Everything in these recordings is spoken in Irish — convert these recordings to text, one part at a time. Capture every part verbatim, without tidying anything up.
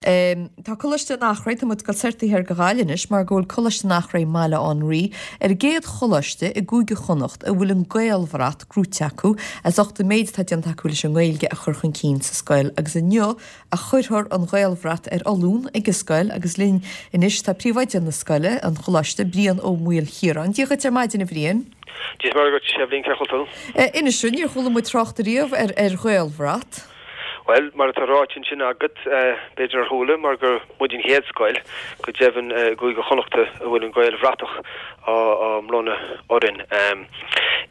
Tá Coláiste an Eachréidh, tá muid ag dul soir taobh thiar de Ghaillimh anois mar go bhfuil Coláiste an Eachréidh i mBaile Átha an Rí ar an gcéad choláiste i gCúige Chonnacht a bhfuil an Gaelbhrat gnóite acu as ucht an méid atá déanta acu leis an nGaeilge a chur chun cinn sa scoil agus inniu a chuirfear an Ghaelbhrat ar foluain ag an scoil agus linn anois tá príomhoide na scoile, an choláiste, Brian Ó Maoilchiaráin. Dia dhuit ar maidin a Bhriain. Dia is Muire dhuit, a Eibhlín, cén chaoi a bhfuil tú? Inis dúinn, níor chuala muid trácht ariamh ar ar Ghaelbhrat. Bhuel, mar atá ráite ansin agat, b'fhéidir nár chuala, mar gur muid an chéad scoil, go deimhin, i gCúige Chonnachta a bhfuil an Ghaelbhratach á mbronnadh orainn.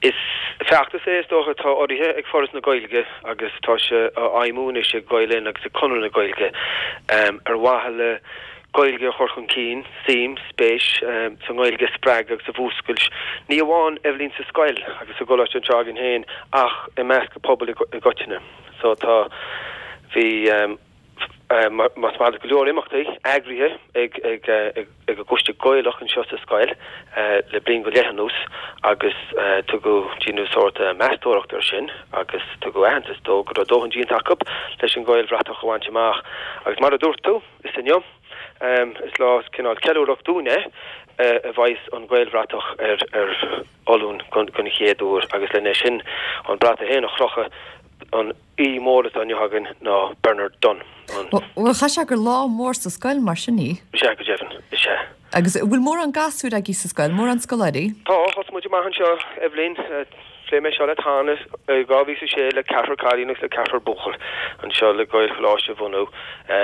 Is feachtas é, is dócha, atá urraithe ag Foras na Gaeilge agus tá sé á fheidhmiú anois ag Gael Linn agus ag Conradh na Gaeilge ar mhaithe le Gaeilge a chur chun cinn, suim, spéis sa nGaeilge a spreagadh agus a mhúscailt, ní amháin, Eibhlín, sa scoil agus sa gcoláiste anseo againn féin ach i measc an phobail i gcoitinne. So tá, bhí, más maith leat, go leor imeachtaí eagraithe ag, ag, ag an gCoiste Gaelach anseo sa scoil le bliain go leith anuas agus tugadh, déanadh sórt meastóireacht air sin agus tugadh aitheantas dó go raibh dóthain déanta acu leis an Ghaelbhratach a bhaint amach. Agus mar a dúirt tú, is inniu, is lá cineál ceiliúrach dúinn é a bheas an Ghaelbhratach ar ar foluain den chéad uair agus lena sin an brat é féin a chrochadh, an aoi mór atá inniu againn ná Bernard Dunne, an. Bhuel, chaithfeadh sé gur lá mór sa scoil mar sin í. Is ea, go deimhin, is ea. Agus an bhfuil mórán gasúir agaibh sa scoil, mórán scoláirí? Tá, thosaigh muid amach anseo, Eibhlín, Phléigh mé seo leat cheana i dhá mhíle is a sé le ceathrar cailín agus le ceathrar buachaill anseo le Gaelcholáiste a bhunú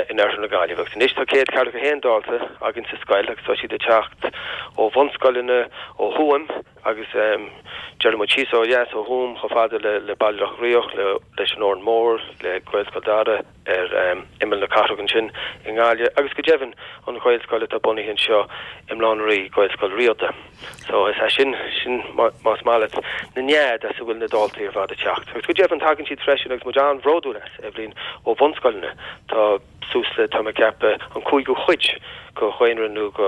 in oirthear na Gaillimhe agus anois tá céad ceathracha a haon dalta againn sa scoil agus tá siad ag teacht ó bhunscoileanna ó Thuaim agus déarfaidh muid síos ó dheas ó Thuaim chomh fada le Baile Locha Riach, leis an Órán Mór, le Gaelscoil Dara. ar imeall na cathrach ansin i nGaillimh agus go deimhin an Ghaelscoil atá bunaithe anseo i mBaile Átha an Rí, Gaelscoil Riada. So is é sin, sin más maith leat, na nead as a bhfuil na daltaí ar fad ag teacht. Agus go deimhin tagann siad freisin agus muid an-bhródúil as, Eibhlín, ó bhunscoileanna. Tá suas le, tá mé ag ceapadh, an cúigiú chuid de dhaonra nó de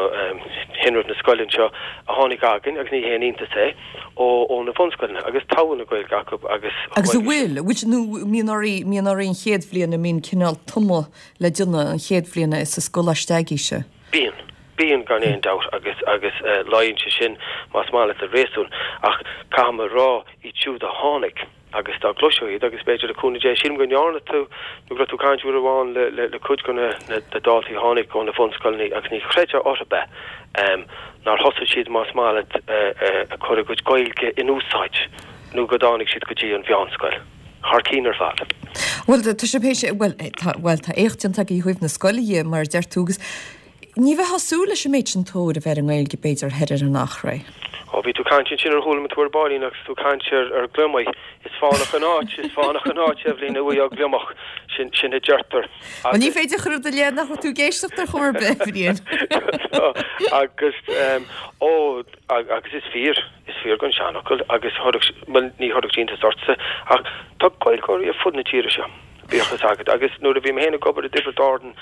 thinreamh na scoile anseo a tháinig againn agus ní haon iontas é. ó na bunscoileanna agus togha na Gaeilge acu agus Agus an bhfuil, bhfuil, nó mbíonn oraibh, mbíonn oraibh an chéad bhliain, an mbíonn cineál tumadh le déanamh an chéad bhliain sa scoláiste agaibhse? Bíonn. Bíonn gan aon dabht agus, agus luíonn sé sin más maith leat le réasún ach caithfidh mé a rá iad siúd a tháinig, agus dá gcloisfeá iad, agus b'fhéidir le cúnamh Dé, sílim go ndearna tú, nó go raibh tú ag caint uair amháin le, le, le cuid de na, na, na daltaí a tháinig ó na bhunscoileanna agus ní chreidfeá orthu é, nár thosaigh siad, más maith leat, ag cur a gcuid Gaeilge in úsáid nó go dtáinig siad go dtí an mheánscoil. Thar cinn ar fad. Bhuel, tá sé, bhuel, tá, bhuel, tá éacht déanta agaibh ó thaobh na scoile dhe, mar a deir tú, agus Ní bheifeá ag súil leis an méid sin tóir a bheith ar an nGaeilge, b'fhéidir, thoir ar an Eachréidh. Ó, bhí tú ag caint ansin ar chuala mé tú ar baillín agus tú ag caint ar, ar gliomaigh. Is fánach an áit, is fánach an áit, Eibhlín, a bhfaighfeá gliomach, sin, sin a deirtear. Bhuel, ní féidir a chur i do leith nach raibh tú ag éisteacht ar chor ar bith, a Bhriain. Agus, ó, agus is fíor, is fíor don seanfhocal agus chuirfeadh, bhuel, ní chuirfeadh sé iontas ortsa, ach tá Gaeilgeoirí ar fud na tíre seo. Bíodh fhios agat. Agus nuair a bhí mé féin ag obair i dTiobraid Árann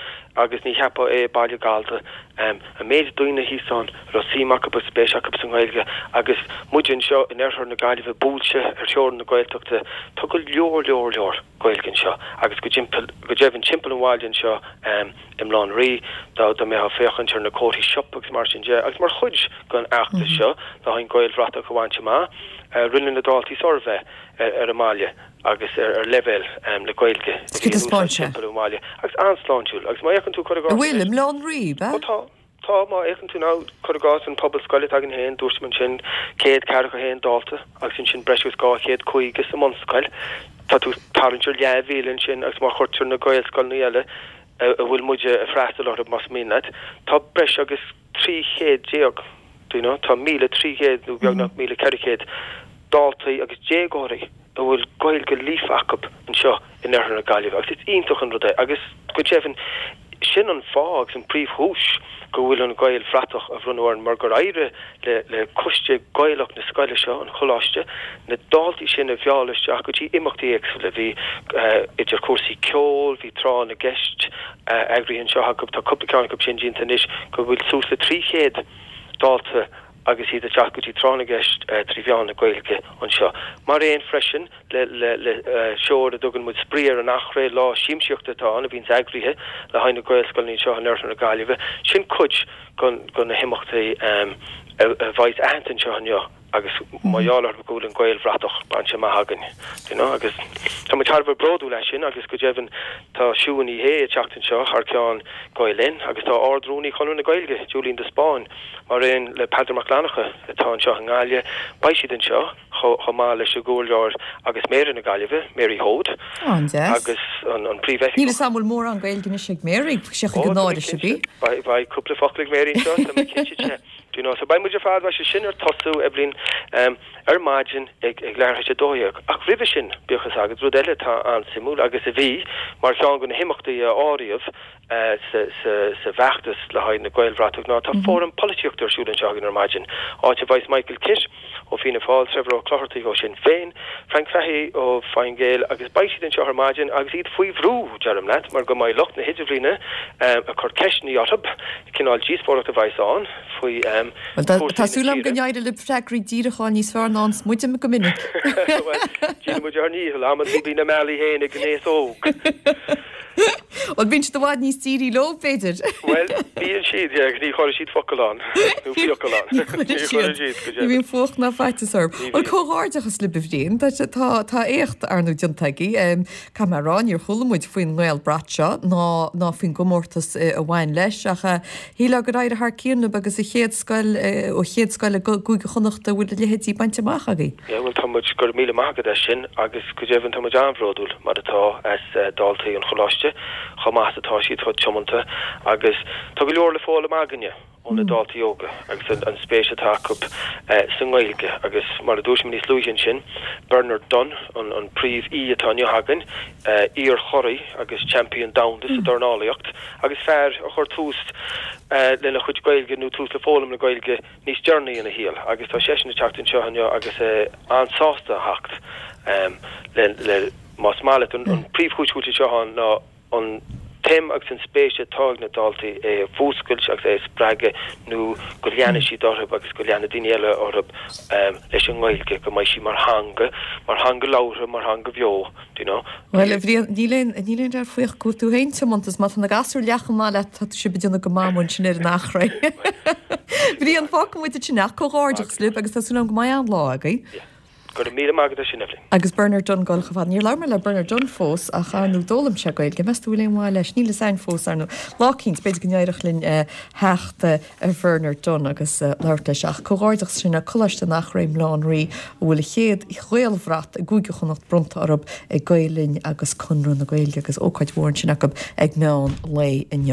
agus ní cheapfá é, baile gallda, an méid daoine thíos ann a raibh suim acu agus spéis acu sa nGaeilge agus muide anseo in oirthear na Gaillimhe buailte ar theorainn na Gaeltachta, tá go leor leor leor Gaeilge anseo agus go timpeall, go deimhin timpeall an bhaile anseo i mBaile Átha an Rí, dá mbeifeá ag féachaint ar na comharthaí siopa agus mar sin de. Agus mar chuid den fheachtas seo le haghaidh an Ghaelbhratach a bhaint amach, rinne na daltaí suirbhé ar an mbaile. agus ar leibhéal na Gaeilge a bhí in úsáid timpeall an bhaile agus an-sláintiúil agus má fhéachann tú cuir i gcás An bhfuil, i mBaile Átha an Rí, ab ea? Ó tá, tá, má fhéachann tú now, cuir i gcás an pobal scoile atá againn féin, dúirt mé ansin céad ceathracha a haon dalta agus ansin breis agus dhá chéad caoga sa mbunscoil, tá tú ag tarraingt ar leathmhíle ansin agus má chuirtear na Gaelscoileanna eile a bhfuil muide ag freastal orthu más mian leat, tá breis agus trí chéad déag, do you know, tá míle trí chéad nó beagnach míle ceithre chéad daltaí agus déagóirí a bhfuil Gaeilge líofa acu anseo in oirthear na Gaillimhe agus is iontach an rud é agus go deimhin sin an fáth agus an príomhchúis go bhfuil an Ghaelbhratach á bhronnadh orainn mar gur éirigh le le coiste Gaelach na scoile seo, an choláiste, na daltaí sin a mhealladh isteach go dtí imeachtaí éagsúla. Bhí idir chúrsaí ceoil, bhí tráth na gceist eagraithe anseo acu, tá cúpla ceann acu sin déanta anois, go bhfuil suas le trí chéad dalta agus iad ag teacht go dtí tráth na gceist trí mheán na Gaeilge anseo. Mar aon freisin le le le seó a dtugann muid Spraoi ar an Eachréidh, lá siamsaíochta atá ann a bhíonns eagraithe le haghaidh na Gaelscoileanna anseo in oirthear na Gaillimhe. Sin cuid de na himeachtaí a bheidh aitheanta anseo inniu agus mar gheall orthu go bhfuil an Gaelbhratach bainte amach againn, you know, agus tá muid thar a bheith bródúil as sin agus go deimhin tá Siún Ní Shé ag teacht anseo thar ceann Gael Linn agus tá Ard-Rúnaí Chonradh na Gaeilge, Julian de Spáinn, mar aon le Peadar Mac Fhlannchadha atá anseo i nGaillimh, beidh siad anseo chomh maith leis an gComhairleoir agus Méara na Gaillimhe, Mary Hoade, agus an Príomhoifigeach. Níl 'fhios a'm an bhfuil mórán Gaeilge anois ag Mary, sé chuig an náire sibh í. Beidh cúpla focal ag Mary anseo, tá mé cinnte de. Do you know, so beidh muid ar fad, beidh sé sin ar tosú, Eibhlín, ar maidin ag ag leathuair tar éis a dó dhéag. Ach roimhe sin, bíodh fhios agat, rud eile atá an-suimiúil agus a bhí mar cheann de na himeachtaí a áiríodh sa sa sa bhfeachtas le haghaidh na Gaelbhratach ná tá fóram polaitíochta ar siúl anseo againn ar maidin, áit a bheidh Michael Kitt ó Fianna Fáil, Trevor Ó Clochartaigh ó Sinn Féin, Frank Fahey ó Fine Gael agus beidh siad anseo ar maidin agus iad faoi bhrú, deirim leat, mar go mbeidh lucht na hidirbhliana ag cur ceisteanna orthu, cineál díospóireacht a bheas ann faoi Bhuel, tá súil agam go n-éireoidh libh freagraí díreacha a fháil níos fearr ná a fhaigheanns muide go minic. Bhuel, déanann muid ár ndícheall, amantaí bíonn na meallaí féin ag an aos óg. Bhuel, bíonn siad i bhfad níos dírí leo, b'fhéidir. Bhuel, bíonn siad, yeah, agus ní chuireann siad focal ann, nó fiacail ann. Ní chuireann siad. Ní bhíonn fuacht ná faitíos orthu. Bhuel, comhghairdeachas libh, a Bhriain. Tá, tá, tá éacht, ar ndóigh, déanta agaibh. Caithfidh mé a rá, níor chuala muid faoin nGaelbhrat seo ná, ná faoin gcomórtas a bhain leis, ach shílfeá gur éirigh thar cionn libh agus an chéad scoil, an chéad scoil i gCúige Chonnacht a bhfuil a leithéidí bainte amach agaibh. Yeah, bhuel, tá muid, go raibh míle maith agat as sin agus go deimhin tá muid an-bhródúil mar atá as daltaí an choláiste, chomh maith is atá siad, chomh tiomanta agus tá go leor le foghlaim againne ó na daltaí óga agus an spéis atá acu sa nGaeilge agus mar a dúirt mé níos luaithe ansin, Bernard Dunne, an príomh-aoi atá inniu againn, iar-churaidh agus champion domhanda sa dornálaíocht agus fear a chuir tús lena chuid Gaeilge nó tús le foghlaim na Gaeilge níos deireanaí ina shaol agus tá seisean ag teacht anseo inniu agus é an-sásta a theacht le le más maith leat an príomhchúis go bhfuil siad seo ann ná an tsuim agus an spéis atá ag na daltaí é a mhúscailt agus é a spreagadh nó go leanfaidh siad orthu agus go leanfaidh daoine eile orthu leis an nGaeilge, go mbeidh sí mar theanga, mar theanga labhartha, mar theanga bheo, do you know. Bhuel, a Bhriain, níl aon, níl aon dabht faoi ach go bhfuil tú féin tiomanta is má tá na gasúir leath chomh maith leat, tá sibh ag déanamh go maith ansin ar an Eachréidh. Bhriain, fágfaidh muid ansin é ach comhghairdeachas libh agus tá súil agam go mbeidh an-lá agaibh. Yeah. Go raibh míle maith agat as sin, Eibhlín. Agus Bernard Dunne ag dul chomh fada. Níor labhair mé le Bernard Dunne fós ach ar ndóigh d'fhoghlaim sé Gaeilge. Meas tú bhfuil aon mhaith leis? Níl fhios a'inn fós, ar ndóigh. Lá eicínt, b'fhéidir go n-éireodh linn theacht ar Bhernard Dunne agus labhairt leis. Ach comhghairdeachas sin le Coláiste an Eachréidh i mBaile Átha an Rí a bhfuil a chéad Ghaelbhrat i gCúige Chonnacht bronnta orthu ag Gael Linn agus Conradh na Gaeilge agus ócáid mhór ansin acu ag meán lae inniu.